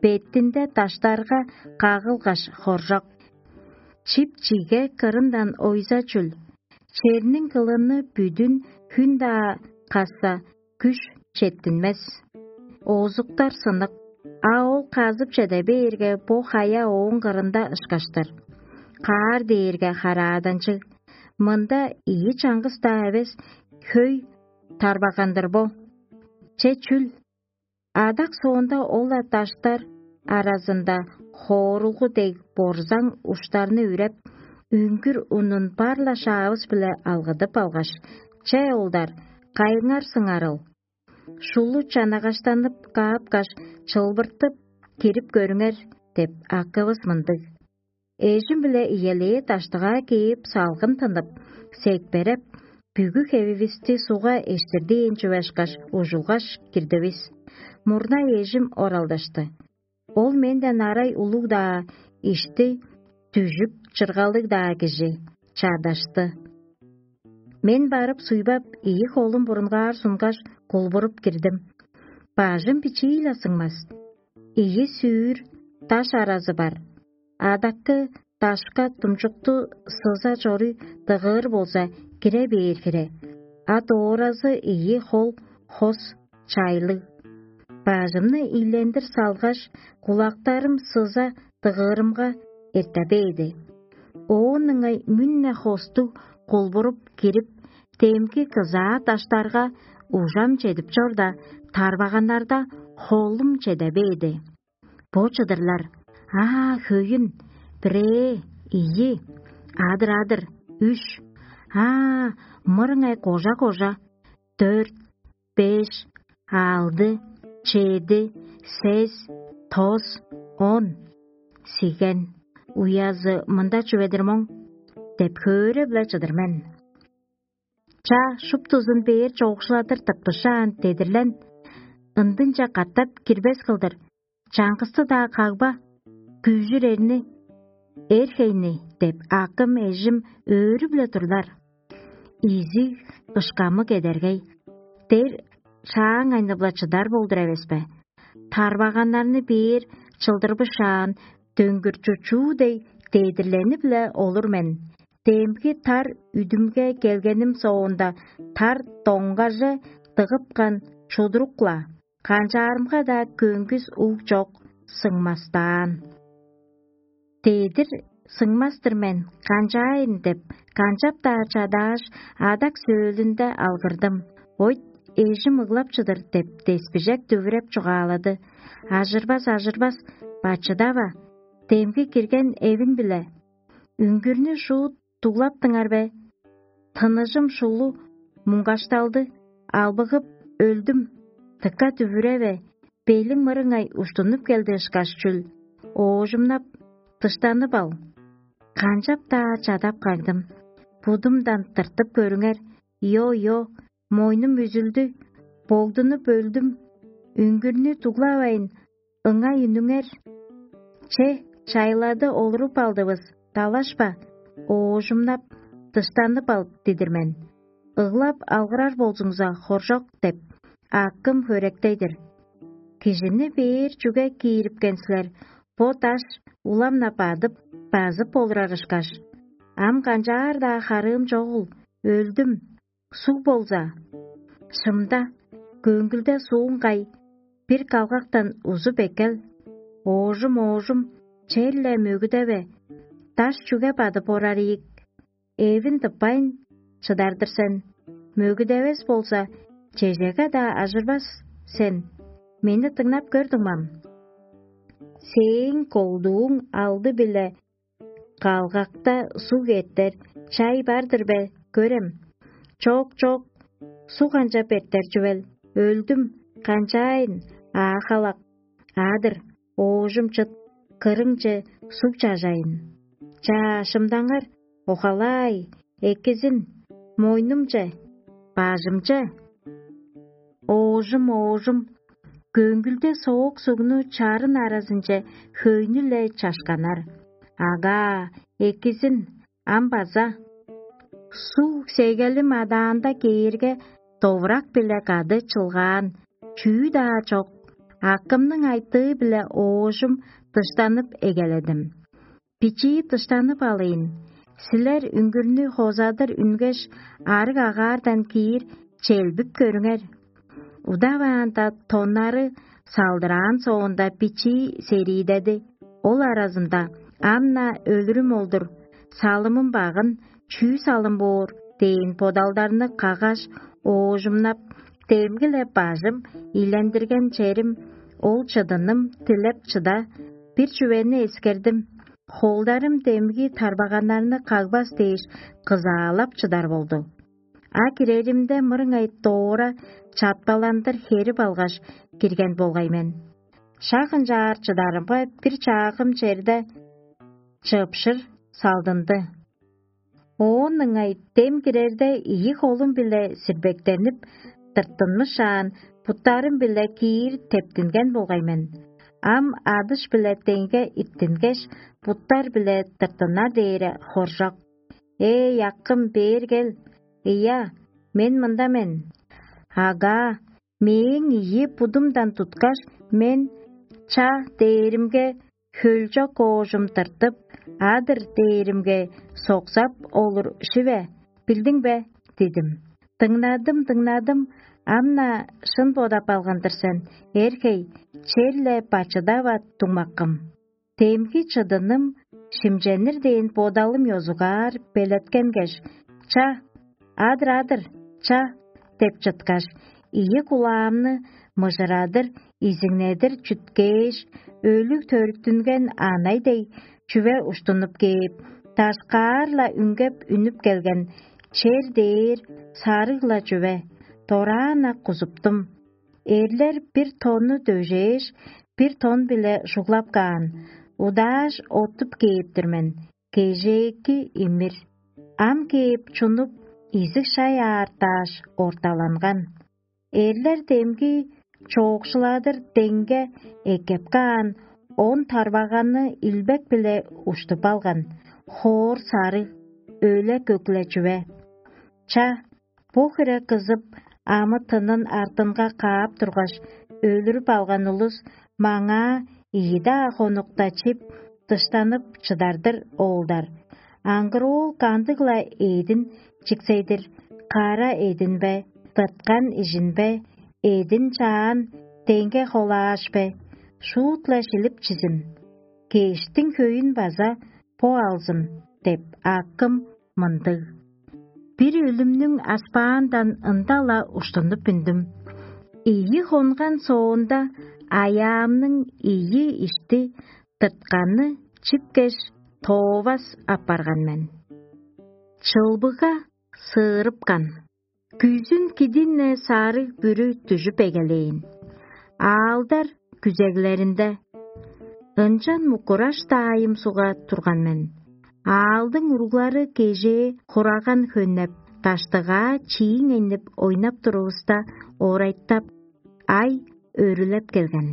беттинде даштарга кагылгаш хоржок. Чип-чиге кырындан ойза чүл, черниң кылыны бүдүн хүн-даа касса, күш четтинмес. Оозуктар сынык, а ол казып чеде бээрге, бо хая ооң кырында ышкаштыр. Каар дээрге харааданчыг. Мында ийи чаңгыс-даа эвес, хөй тарбагандыр бо. Че чүл? Адак соонда ол-ла даштар аразында хоорулгу дег борзаң уштарны үреп, үңгүр унун бар-ла шаавыс-биле алгыдып алгаш: «Че, оолдар, кайыңар сыңарыл? Шулу чанагаштанып каапкаш, чылбыртып кирип көрүңер» — деп, акывыс мындыг. Эжим-биле иелээ даштыгаа кээп, салгын тынып, секпереп, бүгү хевивисти сугга эштирдээн чүве ышкаш, ужулгаш кирдивис. Мурнай эжим оралдашты. Ол менден арай улуг-даа, ишти дүжүк чыргалыг-даа кижи, чардашты. Мен барып суйбап, ийи холум бурунгаар сунгаш, кулбуруп кирдим. Бажым бичии-ле сыңмас. Ийи сүүр даш аразы бар. Адаккы дашка думчукту сыза чоруй дыгыыр болза, кире бээр хире. А дооразы ийи хол хос чайлыг. Бажымны ийлендир салгаш, кулактарым сыза дыгыырымга эрте бээди. Оон ыңай мүн-не хостуг кулбуруп кирип, демги кызаа даштарга ужам чедип чорда, тарбаганнарда холум чеде бээди. Бо чыдырлар: аа, хөйүн, бирээ, ийи, адыр-адыр, үш, аа, мырыңай кожа-кожа, дөрт, беш, алды, чеди, сес, тос, он. Сиген, уязы мында чүве-дир моң деп, хөөреп-ле чыдыр мен. Ча, шуптузун бээр чоокшуладыр тыппышаан дедирлен, ындынче катап кирбес кылдыр, чаңгысты-даа кагба, күжүр эрни, эр хейни деп, акым эжим өөрүп-ле турлар. Изиг ышкамы кедергей, дер шааң айнып-ла чыдар болдур эвес бе? Тарбаганнарны бээр чылдырбышаан, дөңгүр чучуу дег дедирленип-ле олур мен. Демги тар үдүмге келгеним соонда, тар доңгаже дыгыпкан чудурук-ла, канчаарымга-даа көңгүс уг чок, сыңмастаан. Дедир сыңмас-тыр мен, канчаайын деп, канчап-даа чадааш, адак сөөлүнде алгырдым. Ойт, эжим ыглап чыдыр деп, деспижек дүвүреп чугаалады. Ажырбас, ажырбас, бачыдава, демги кирген эвин-биле. Үңгүрнү шуут дуглаптыңар бе? Тыныжым шулу муңгашталды, албыгып өлдүм. Тыка дүвүреве, белиң мырыңай уштунуп келди ышкаш чүл, оожумнап, дыштанып ал. Канчап-даа чадап кагдым. Будумдан тыртып көрүңер, йо-йо, мойнум үзүлдү, богдунуп өлдүм. Үңгүрнү дуглавайн, ыңай үнүңер. Че, чайлады олуруп алдывыс, далашпа, оожумнап, дыштанып ал дидир мен. Ыглап алгырар болзуңза, хоржок деп, акым хөректей-дир. Кижини бээр чүге киирипкен силер, бо даш улам-на бадып, базып олурар ышкаш? Ам канчаар-даа харыым чогул, өлдүм. Суг болза, шымда, көңгүлде сууң кай, бир калгактан узуп эккел. Оожум, оожум, черле мөгүдеве, даш чүге бадып орар ийик? Эвин тыппайн, чыдар-дыр сен. Мөгүдевес болза, чежеге-даа ажырбас сен. Мени дыңнап көр, дуңмам. Сээң колдууң алды-биле калгакта суг эртер чай бар-дыр бе, көрем? Чок, чок, суг канчап эртер чүвел? Өлдүм, канчаайн, аахалак. Адыр, оожум чыт, кырыңче суг чажайын. Чаа, шымдаңар, охалаай, экизин, мойнумче, бажымче. Оожум, оожум, көңгүлде соок сугну чарын аразынче хөйнү-ле чашканар. Агаа, экизин, ам база. Суг сегелим адаанда кээрге, довурак-биле кады чылгаан чүү-даа чок. Акымның айтыы-биле оожум дыштанып эгеледим. Бичии дыштанып алыйн. Силер үңгүрнү хозадыр үнгеш, арыг агаардан киир челбип көрүңер. Удаваанда тоннары салдыраан соонда бичии сериидеди. Ол аразында: «Ам-на өлүрүм ол-дур, салымым багын, чүү салым боор?» – дээн бодалдарны каггаш, оожумнап, демги-ле бажым, ийлендирген черим, ол чыдыным дилеп чыда, бир чүвени эскердим. Холдарым демги тарбаганнарны кагбас дээш, кызаалап чыдар болду. А киреримде мырыңай доора чапталандыр херип алгаш, кирген болгай мен. Шак ынчаар чыдарымга, бир чаагым черде чыпшыр салдынды. Оон ыңай дем кирерде ийи холум-биле сирбектенип, тырттынмышаан, буттарым-биле киир тептинген болгай мен. Ам адыш-биле деңге иттингеш, буттар-биле тырттынар дээре хоржок. «Ээ, акым, бээр кел! Ийе, мен мында мен». Агаа, мээң ийи будумдан туткаш, мен «Ча» дээримге, хөлчок оожум тыртып, «Адыр» дээримге, «Соксап олур шиве, билдиң бе?» – дидим. «Дыңнадым, дыңнадым, ам-на шын бодап алган-дыр сен, эрхей, черле бачыдава, дуңмаккым». Демги чыдыным шимченир дээн бодалым ёзугаар белеткенгеш: «Ча, адыр-адыр, ча!» – деп чыткаш, ийи кулаамны мыжырадыр, изиңнедир чүткээш, өлүг төрүттүнген анай дег чүве уштунуп кээп, дашкаар-ла үнгеп үнүп келген чер дээр сарыг-ла чүве, дораан-на кузуптум. Эрлер бир тонну дөжээш, бир тон-биле шуглап каан, удааш оттуп кээп-тир мен, кежээки имир. Ам кээп чунуп, изиг шай аартааш, орталанган. Эрлер демги чоокшуладыр деңге эккеп каан он тарбаганны илбек-биле уштуп алган, хоор сарыг, өле көк-ле чүве. Ча, бо хире кызып, амы-тынын артынга каап тургаш, өлүрүп алган улус маңаа ийи-даа хонукта чип, дыштанып чыдар-дыр оолдар. Аңгыр оол кандыг-ла эъдин чиксей-дир, кара эъдин бе, тырткан ижин бе, эъдин чаан деңге холааш бе, шуут-ла шилип чизин. Кештиң хөйүн база бо алзын деп, акым мындыг. Бир өлүмнүң аспаандан ында-ла уштунуп үндүм. Ийи хонган соонда, аяамның ийи ишти тыртканны чипкеш, тоовас апарган мен. Чылбыга сыырыпкан. Күзүн кидин-не сарыг бүрү дүжүп эгелээн. Аалдар күзеглеринде. Ынчан мукураш даайым суга турган мен. Аалдың уруглары кежээ хураган хөннеп, даштыгаа чииң энип ойнап турувуста, орайтап, ай өрүлеп келген.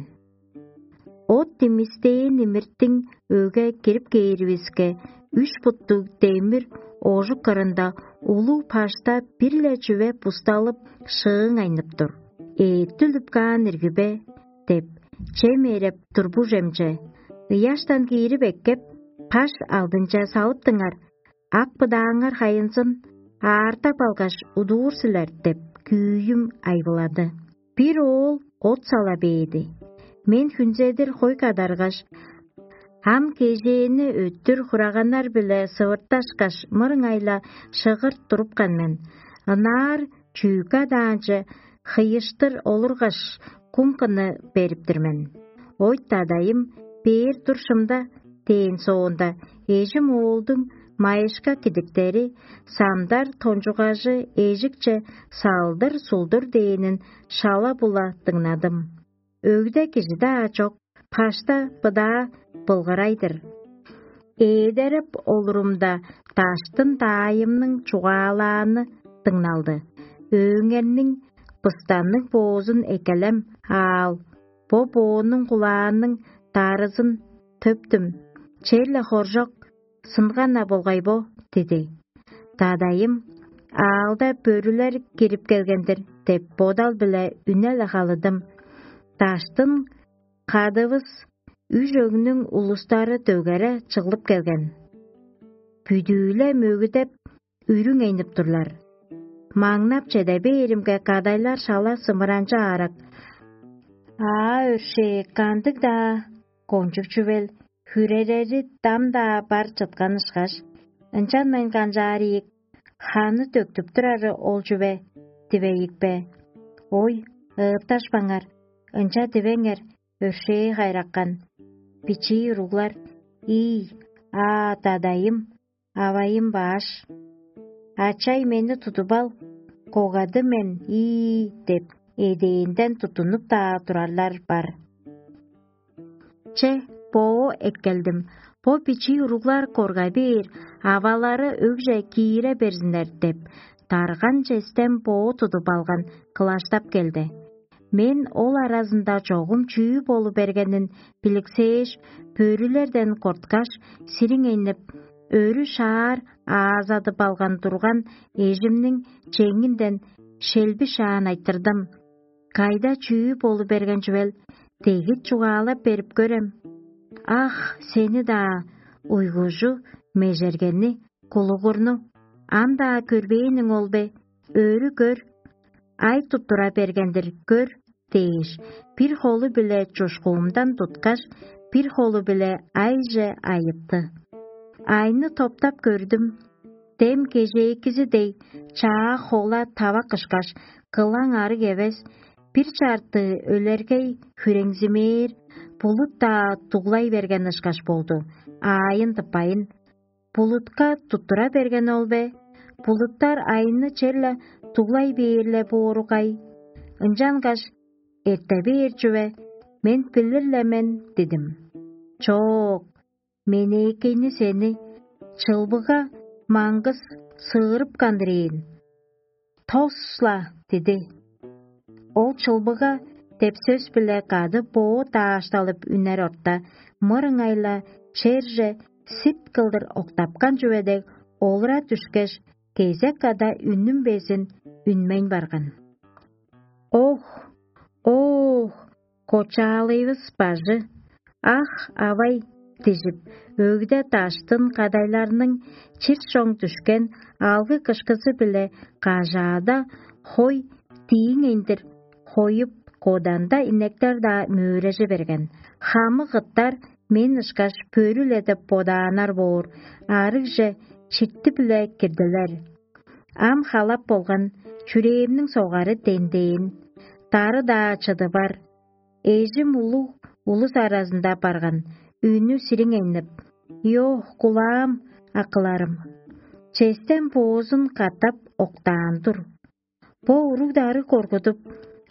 От димистээн имиртиң өге кирип кээривиске, үш буттуг демир ожук кырында улуг пашта бир-ле чүве бусталып, шыың айнып тур. эъттүлүп каан ирги бе?» – деп, чем эреп турбужемче, ыяштан киирип эккеп, паш алдынче салыптыңар, ак быдааңар хайынзын аартап алгаш, удуур силер деп, күүйүм айбылады. Бир оол от сала бээди. Мен хүнзедир хой кадаргаш, ам кежээни өттүр хураганнар-биле сывырташкаш, мырыңай-ла шыгырт турупкан мен. Ынаар чүүк адаанче хыйыштыр олургаш, кумканы бериптир мен. Ойт адайым бээр тур шымда дээн соонда, эжим оолдуң майышка кидиктери, самдар тончугажы эжикче салдыр-сулдур дээнин шала-була дыңнадым. Өгде кижи-даа чок, пашта быдаа былгырай-дыр. Ээдерип олурумда, даштын даайымның чугаалааны дыңналды. Өөңерниң быстанныг боозун эккелем аал, бо боонуң кулаанның дарызын төптүм. Черле хоржок сынган-на болгай бо, диди. Дадайым: «Аалда бөрүлер кирип келген-дир» – деп, бодал-биле үне-ле халыдым. Даштын кадывыс үш өгнүң улустары дөгере чыглып келген. Бүдүү-ле мөгүдеп, үрүң энип турлар. Маңнап чеде бээримге, кадайлар шала сымыранчы аарак: «Аа, өршээ, кандыг-даа кончуг чүвел, хүререри дам-даа бар чыткан ышкаш, ынчанмайн канчаар ийик, ханы төктүп турары ол чүве дивейик бе? Ой, ыытташпаңар, ынча дивеңер, өршээ хайраккан, бичии уруглар. Ий, аа, дадайым, авайым баш, ачай, мени тудуп ал, когады мен, ий» – деп, эдээнден туттунуп-даа турарлар бар. Че, боо эккелдим. Бо бичии уруглар корга бээр, авалары өгже киире берзиннер деп, дарган честен боо тудуп алган кылаштап келди. Мен ол аразында чогум чүү болу бергенин биликсээш, бөрүлерден корткаш, сириңейнип, өрү шаар аазадып алган турган эжимниң чеңинден шелби шаан айтырдым: «Кайда чүү болу берген чүвел? Дегит чугаалап берип көрем». «Ах, сени-даа, уйгужу, межергени, кулугурну, ам-даа көрбээниң ол бе? Өрү көр, ай туттура берген-дир, көр» – дээш, бир холу-биле чушкуумдан туткаш, бир холу-биле айже айыпты. Айны топтап көрдүм. Дем кежээкизи дег, чаа хола тавак ышкаш, кылаң арыг эвес, бир чартыы өлергей хүреңзимээр, булут-даа дуглай берген ышкаш болду, аайын тыппайн. Булутка туттура берген ол бе? Булуттар айны черле дуглай бээр-ле боору кай? Ынчангаш эрте бээр чүве, мен билир-ле мен дидим. Чоок, менээкейни сени чылбыга маңгыс сыырыпкан-дыр ийин. Тос-ла диди. Ол чылбыга деп сөс-биле кады боо даашталып үнер орта, мырыңай-ла черже сит кылдыр октапкан чүве дег олура дүшкеш, кезек када үнүм безин үнмейн барган. «Ох, ох, кочаалыывыс бажы! Ах, авай!» – дижип, өгде даштын кадайларның чир чоң дүшкен алгы кышкызы-биле кажаада хой дииң эндир хоюп, коданда инектер-даа мөөрежи берген. Хамык ыттар мен ышкаш бөрү-ле деп бодааннар боор, арыгже читти-биле кирдилер. Ам халап болган, чүрээмниң согары дендээн, дары-даа чыдывар. Эжим улуг улус аразында барган, үнү сириңейнип: «Йо, кулаам, акыларым, честен боозун катап октаан-дур. Бо уруг-дары коргудуп,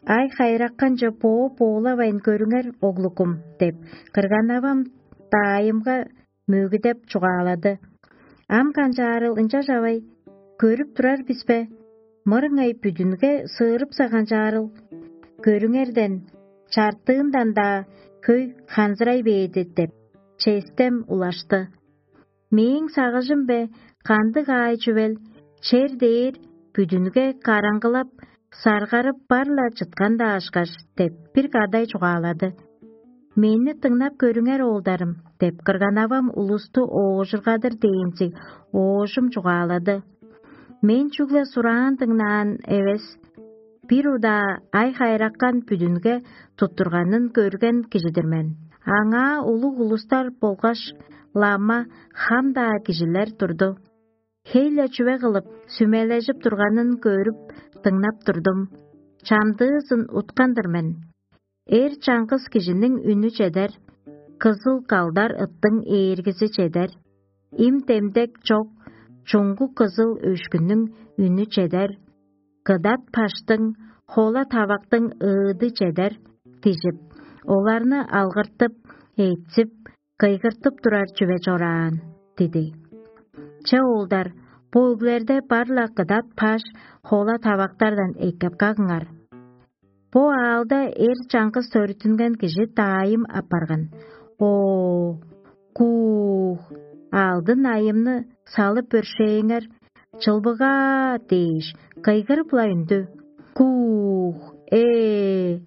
ай хайыракканче боо боолавайн көрүңер, оглукум» – деп, кырган-авам даайымга мөгүдеп чугаалады. «Ам канчаарыл ынчаш, авай, көрүп турар бис бе? Мырыңай бүдүнге сыырыпса канчаарыл? Көрүңерден, чартыындан-даа хөй ханзырай бээди» – деп, честем улашты. Мээң сагыжым бе, кандыг аай чүвел, чер дээр бүдүнге караңгылап, саргарып бар-ла чыткан-даа ышкаш» – деп бир кадай чугаалады. «Мени дыңнап көрүңер, оолдарым» – деп кырган-авам улусту оожургадыр дээнчиг оожум чугаалады. Мен чүгле сураан дыңнаан эвес, бир удаа ай-хайраккан бүдүнге туттурганын көрген кижи-дир мен. Аңаа улуг улустар болгаш лама хам-даа кижилер турду. Хей-ле чүве кылып, сүмележип турганын көрүп, дыңнап турдум. Чамдыызын уткан-дыр мен. Эр чаңгыс кижиниң үнү чедер, кызыл калдар ыттың ээргизи чедер, им-демдек чок чуңгу кызыл өшкүнүң үнү чедер, кыдат паштың, хола тавактың ыыды чедер дижип, оларны алгыртып, ээтсип, кыйгыртып турар чүве чораан» – диди. Че, оолдар, бо өглерде бар-ла кыдат паш, хола тавактардан эккеп кагыңар. Бо аалда эр чаңгыс төрүттүнген кижи даайым апарган. Оо, куух, алдын айымны салып өршээңер, чылбыгаа дээш, кыйгырып-ла үндү. Куух, ээ!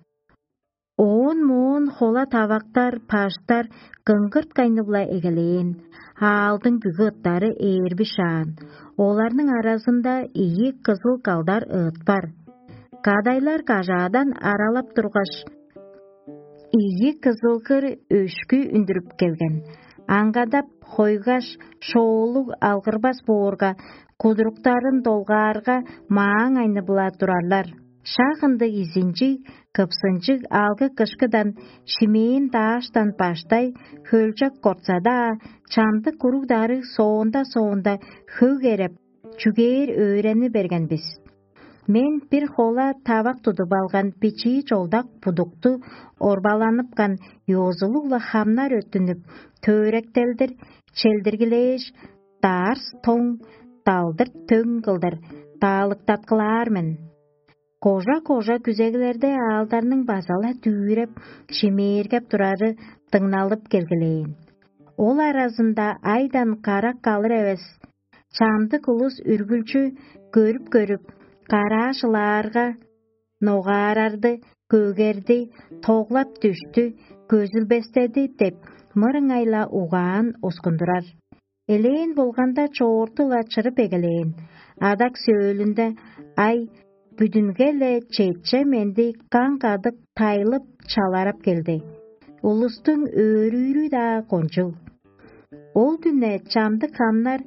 Оон моон хола тавактар, паштар кыңгырткайнып-ла эгелээн, аалдың бүгү ыттары ээрби шаан, оларның аразында ийи кызыл калдар ыыт бар. Кадайлар кажаадан аралап тургаш, ийи кызылгыр өшкү үндүрүп келген. Аңгадап, хойгаш, шоолуг алгырбас боорга, кудуруктарын долгаарга, мааң айнып-ла турарлар. Шак ындыг изинчиг, кыпсынчыг алгы-кышкыдан шимээн дааштан баштай хөлчок кортса-даа, чамдык уруг-дарыг соонда-соонда хөг эреп, чүгээр өөрени берген бис. Мен бир хола тавак тудуп алган бичии чолдак будукту орбаланыпкан ёзулуг-ла хамнар өттүнүп, төөректелдир, челдиргилээш, даарс тоң, далдыр төң кылдыр даалыктаткылаар мен. Кожа-кожа күзеглерде аалдарның база-ла дүвүреп, шимээргеп турары дыңналып келгилээн. Ол аразында айдан карак калыр эвес, чамдык улус үргүлчү көрүп-көрүп, караа шылаарга, ногаарарды, көгерди, тоглап дүштү, көзүлбестеди деп, мырыңай-ла угаан оскундурар. Элээн болганда, чоорту-ла чырып эгелээн. Адак сөөлүнде ай бүдүнге-ле четче менди каң кадык тайлып, чаларап келди. Улустуң өөрүүрү-даа кончуг. Ол дүне чамдык хамнар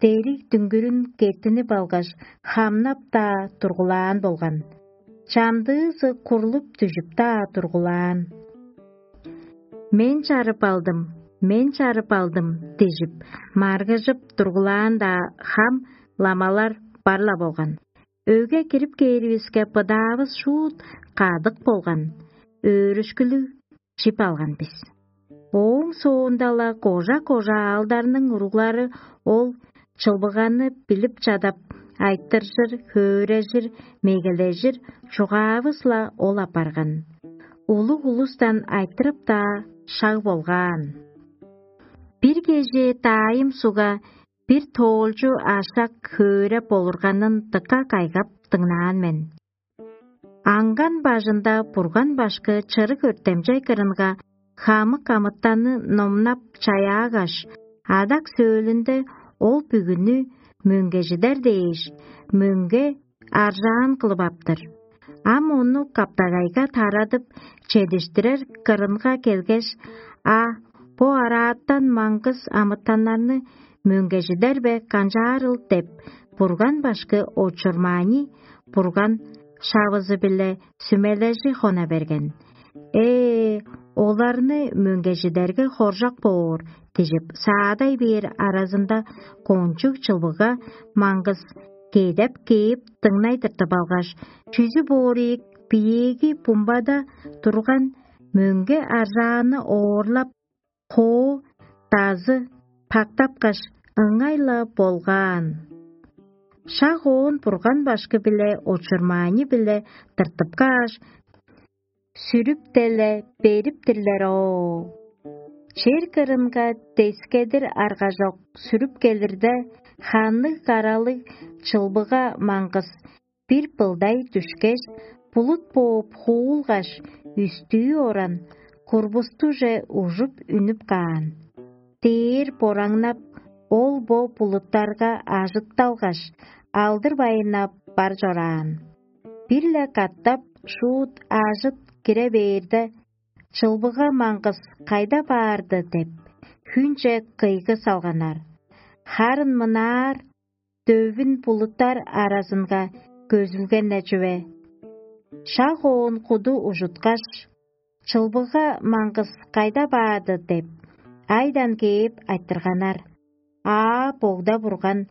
дериг дүңгүрүн кеттинип алгаш, хамнап-даа тургулаан болган. Чамдыызы курлуп дүжүп-даа тургулаан. «Мен чарып алдым, мен чарып алдым» – дижип, маргыжып тургулаан-даа хам, ламалар бар-ла болган. Өйге кирип кээривиске, быдаавыс шуут кадык болган, өөрүшкүлүг чип алган бис. Ооң соонда-ла кожа-кожа аалдарның уруглары ол чылбыганы билип чадап, айтыржыр, хөөрежир, мегележир, чугаавыс-ла ол апарган. Улуг улустан айтырып-даа шаг болгаан. Бир кежээ даайым сугга бир тоолчу ашак хөөреп олурганын дыка кайгап дыңнаан мен. Аңган бажында Бурган башкы чырык өртемчей кырынга хамык амытанны номнап чаяагаш, адак сөөлүнде ол бүгүнү мөңгежидер дээш, мөңге аржаан кылып аптыр. Ам ону каптагайга тарадып, чедиштирер кырынга келгеш: «А, бо араатан маңгыс амытаннарны мөңгежидер бе канчаарыл?» – деп, Бурган башкы очурмаани Бурган шавызы-биле сүмележи хона берген. «Ээ, оларны мөңгежидерге хоржок боор» – дижип, саадай бээр аразында кончуг чылбыга маңгыс кедеп кээп, дыңнай тыртып алгаш, чүзү боор ийик, биеэги бумбада турган мөңге аржааны оорлап, хоо дазы пактапкаш, ыңай-ла болгаан. Шак оон Бурган башкы-биле очурмаани-биле тыртып кааш, сүрүп-деле бериптирлер оо. Чер кырынга дескедир аргажок сүрүп келирде, ханныг-каралыг чылбыга маңгыс Бир былдай дүшкеш, булут бооп хуулгаш, үстүү оран, курбустуже ужуп үнүп каан. Дээр бораңнап, ол бо булуттарга ажытталгаш, алдыр-байыннап бар чораан. Бир-ле катап шуут ажыт кире бээрде, чылбыга маңгыс кайда баарды деп, хүнче кыйгы салганнар. Харын мынаар, дөвүн булуттар аразынга көзүлген-не чүве. Шак оон куду ужуткаш, чылбыга маңгыс кайда баады деп, айдан кээп айтырганнар. Аа, богда бурган,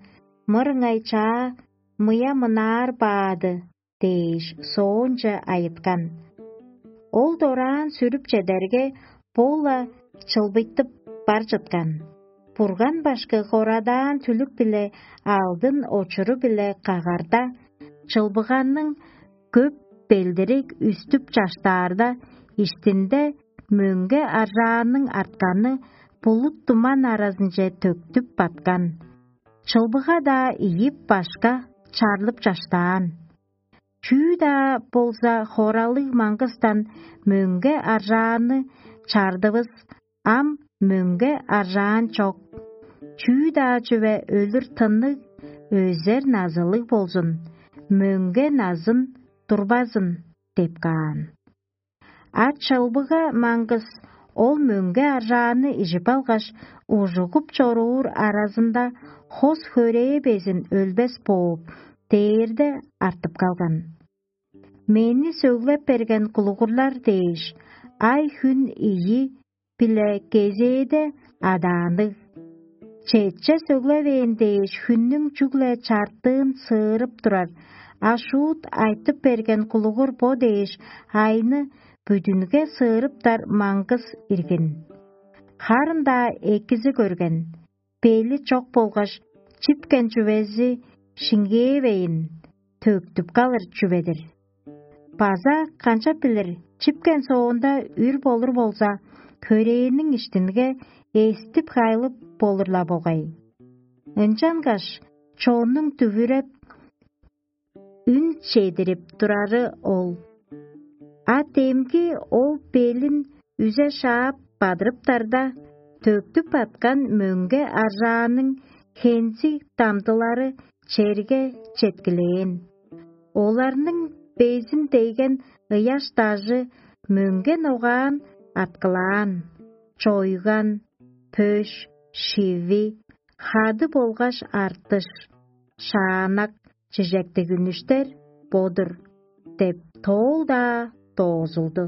мырыңай чаа, мыя мынаар баады дээш, соонче айыткан. Ол дораан сүрүп чедерге, бо-ла чылбыйтып бар чыткан. Бурган башкы хорадаан түлүк-биле алдын очуру-биле кагарда, чылбыганның көп белдириг үстүп чаштаарда, иштинде мөңге аржаанның артканы булут туман аразынче төктүп баткан. Чылбыга-даа ийип башка чарлып чаштаан. Чүү-даа болза хоралыг маңгыстан мөңге аржааны чардывыс, ам мөңге аржаан чок. Чүү-даа чүве өлүр тынныг, өзер назылыг болзун, мөңге назын турбазын деп каан. А чылбыга маңгыс ол мөңге аржааны ижип алгаш, ужугуп чоруур аразында хос хөрээ безин өлбес бооп, дээрде артып калган. Мени сөглеп берген кулугурлар дээш, ай-хүн ийи биле кезээде адаанныг. Четче сөглевээн дээш хүннүң чүгле чартыын сыырып турар, а шуут айтып берген кулугур бо дээш айны бүдүнге сыырыптар маңгыс иргин. Харын-даа экизи көрген, бели чок болгаш чипкен чүвези шиңгээвейн, төктүп калыр чүве-дир. База канчап билир, чипкен соонда үр болур болза, хөрээниң иштинге эстип-хайлып болур-ла болгай. Ынчангаш чоннуң дүвүреп, үн чедирип турары ол. А демги ол белин үзе шаап бадырыптарда, төктүп баткан мөңге аржааның хензиг дамдылары черге четкилээн. Оларның безин дегген ыяш дажы мөңге ногаан аткылаан, чойган, пөш, шиви, хады болгаш артыш, шаанак, чижектиг үнүштер бо-дур деп тоол-даа доозулду.